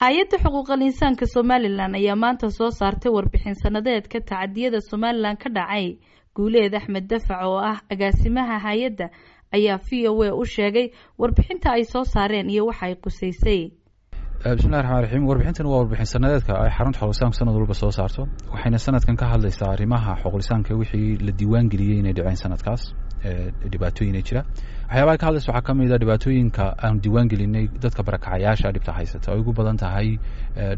Hay-adda xuquuqal insaanka Somalilan ayaa maanta soo saartay warbixin sanadeedka tacadiyada Somalilan ka dhacay. Guuleed Axmed Dafac oo ah agaasimaha hay-adda ayaa VOA u sheegay warbixinta ay soo saareen iyo waxa ay quseysay. Bismillahi raxmaan raxiim. Warbixintan waa warbixin sanadeedka ay xarunta xuquuqlisaanku sanad walba soo saarto, waxayna sanadkan ka hadlaysaa arrimaha xuquuqlisaanka wixii la diiwaan geliyey inay dhaceen sanadkaas, dhibaatooyina jira. Waxyaabaha ka hadlaysa waxaa ka mid a dhibaatooyinka aanu diiwaan gelinay dadka barakacayaasha dhibta haysata, ay ugu badan tahay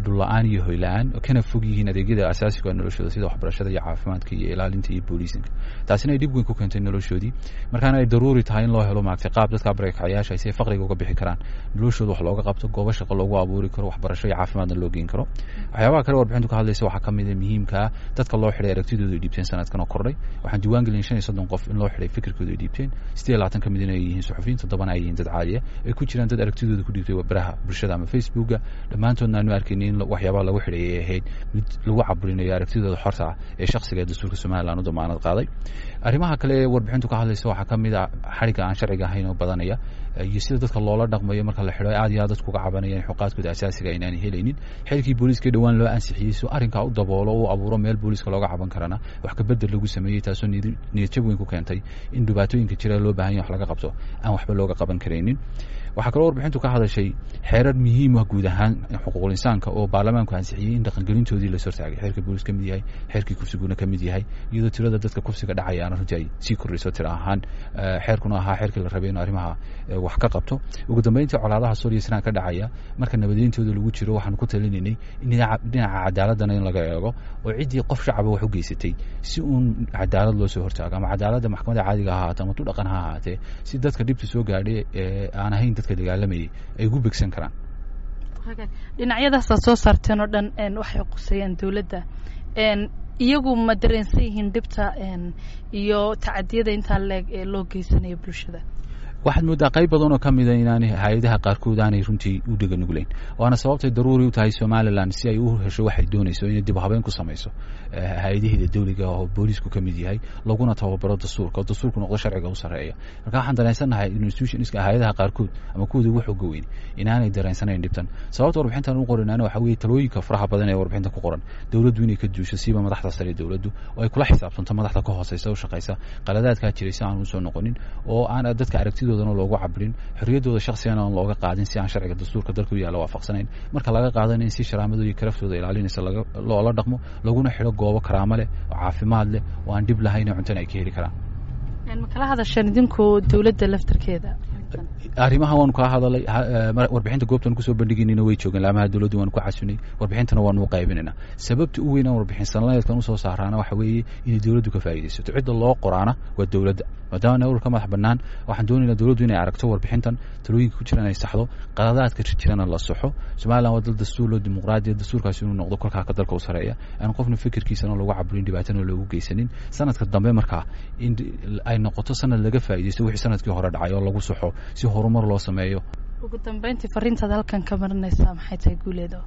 dhul la-aan iyo hoy la-aan, kana fog yihiin adeegyada asaasiga noloshooda sida waxbarashada iyo caafimaadka iyo ilaalinta iyo booliisinka. Taasina ay dhib weyn ku keentay noloshoodii, markaana ay daruuri tahay in loo helo maaragtay qaab dadka barakacayaasha ay si faqriga uga bixi karaan, noloshooda wax looga qabto, goobo shaqo loogu abuuri karo, waxbarasho iyo caafimaadna loo geen karo. Waxyaabaha kale warbixintu ka hadlaysa waxaa ka mid a muhiimkaa dadka loo xidhay aragtidooda ay dhiibteen sanadkan oo kordhay. Waxaan diiwaan gelin 35 qof in loo xidhay fikirkooda ay dhiibteen, 28 ka mid inay yihiin suxufiyiin, 7na ay yihiin dad caadiya, ay ku jiraan dad aragtidooda ku dhiibtay baraha bulshada ama Facebooka. Dhammaantoodna aanu arkaynin in waxyaabaha lagu xidhay ay ahayd mid lagu caburinayo aragtidooda xorta ah ee shakhsiga ee dastuurka Somaliland u damaanad qaaday. Arrimaha kale ee warbixintu ka hadlaysa waxaa ka mid a xadhigga aan sharciga ahayn oo badanaya iyo sida dadka loola dhaqmayo marka la xidho. Aad iyo aad dadku uga cabanayaan xuquuqaadkooda asaasiga inaanay helaynin. Xilkii booliiska dhowaan loo ansixiyey si arrinkaa u daboolo, u abuuro meel booliiska looga caban karana, wax ka bedel lagu sameeyey, taasoo niyadjab weyn ku keentay in dhibaatooyinka jira loo baahan yahay wax laga qabto aan waxba looga qaban karaynin. Waxaa kaloo warbixintu ka hadashay xeerar muhiim ah guud ahaan xuquuqul insaanka oo baarlamaanku ansixiyey in dhaqangelintoodii la hortaagay, xeerka booliis ka mid yahay, xeerkii kufsiguna ka mid yahay, iyadoo tirada dadka kufsiga dhacayaana runtii ay sii kordhayso tiro ahaan, xeerkuna ahaa xeerkii la rabay inuu arrimaha wax ka qabto. Ugu dambeyntii, colaadaha Suuriya sanaa ka dhacaya marka nabadeyntooda lagu jiro, waxaanu ku talinaynay in dhinaca cadaaladana in laga eego oo ciddii qof shacaba wax u geysatay si uun cadaalad loo soo hortaago, ama cadaaladda maxkamadda caadiga ha ahaatee ama tu dhaqan ha ahaatee, si dadka dhibta soo gaadhay ee aan ahayn dadka dagaalamayay ay ugu begsan karaan. Dhinacyadaasaad soo saarteen oo dhan waxay quseeyaan dowladda. Iyagu ma dareensan yihiin dhibta iyo tacadiyada intaa leeg ee loo geysanayo bulshada? Waxaad mooddaa qayb badan oo ka mida inaanay hay-adaha qaarkood aanay runtii u dhega nugleyn, waana sababtay daruuri u tahay Somalilan si ay u hesho waxay doonayso inay dib habeen ku samayso hay-adaheeda dawliga oo booliisku ka mid yahay, laguna tababaro dastuurka oo dastuurku noqdo sharciga u sarreeya. Marka waxaan dareensannahay institutionska hay-adaha qaarkood ama kuwooda ugu xooga weyn inaanay dareensanayn dhibtan. Sababta warbixintan u qorinaana waxaa weeye talooyinka faraha badan ee warbixinta ku qoran dowladdu inay ka duusho, siiba madaxda sare dowladdu, oo ay kula xisaabtanto madaxda ka hooseysa u shaqaysa qaladaadkaa jiray si aan usoo noqonin, oo aan dadka aragtida loogu cabirin, xorriyaddooda shakhsigana aan looga qaadin si aan sharciga dastuurka dalka u yaalla waafaqsanayn. Marka laga qaadana in si sharaamadooda iyo karaftooda ilaalinaysa loola dhaqmo, laguna xidho goobo karaamo leh oo caafimaad leh oo aan dhib lahayn oo cuntana ay ka heli karaan. Ma kala hadasheen idinku dowladda laftarkeeda? Arrimaha waanu kaa hadalay. Warbixinta goobtan kusoo bandhigaynayna way joogeen laamaha dowladdu, waanu ku casunay, warbixintana waanu u qaybinayna. Sababta u weyn aan warbixin sanadeedkan usoo saaraana waxa weeye inay dowladdu ka faa'iidaysato. Cidda loo qoraana waa dowladda, maadaama nawrka madax bannaan. Waxaan doonaynaa dowladdu inay aragto warbixintan, talooyinka ku jiraan ay saxdo, qaladaadka jirana la saxo. Somaliland waa dal dastuur loo dimuqraadiya, dastuurkaasi inuu noqdo kolkaa ka dalka u sareeya, aan qofna fikirkiisana loogu caburin, dhibaatana loogu geysanin. Sanadka dambe markaa in ay noqoto sanad laga faa'iidaysto wixii sanadkii hore dhacay oo lagu saxo si horumar loo sameeyo. Ugu dambeyntii, fariintaad halkan ka marinaysaa maxay tahay, Guuleedo?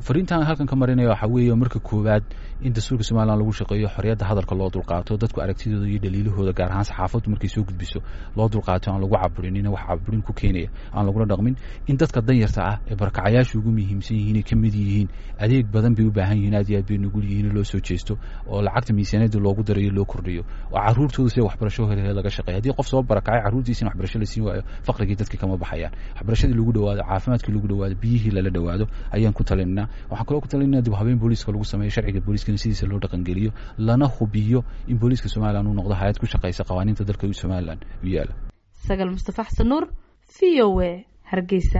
Fariintaan halkan ka marinaya waxaa weeye marka koowaad in dastuurka Somaliland lagu shaqeeyo, xorriyadda hadalka loo dulqaato, dadku aragtidooda iyo dhaliilahooda, gaar ahaan saxaafaddu markay soo gudbiso, loo dulqaato, aan lagu caburinin, wax caburin ku keenaya aan lagula dhaqmin. In dadka danyarta ah ee barakacayaashu ugu muhiimsan yihiin ay ka mid yihiin, adeeg badan bay u baahan yihiin, aad iyo aad bay nugul yihiin, loo soo jeesto oo lacagta miisaaniyadda loogu darayo loo kordhiyo, oo carruurtooda sida waxbarasho helhe laga shaqeeyo. Haddii qof soo barakacay carruurtiisa in waxbarasho la siin waayo, faqrigii dadkii kama baxayaan. Waxbarashadii lagu dhawaado, caafimaadkii lagu dhawaado, biyihii lala dhawaado ayaan ku talinaa. Waxaan kaloo ku talinaa dib habeen booliiska lagu sameeyo, sharciga booliiskana sidiisa loo dhaqangeliyo, lana hubiyo in booliiska Somaliland uu noqdo hay-ad ku shaqaysa qawaaniinta dalka Somaliland u yaala. Sagal Mustafa Xasan Nuur, VOA, Hargeysa.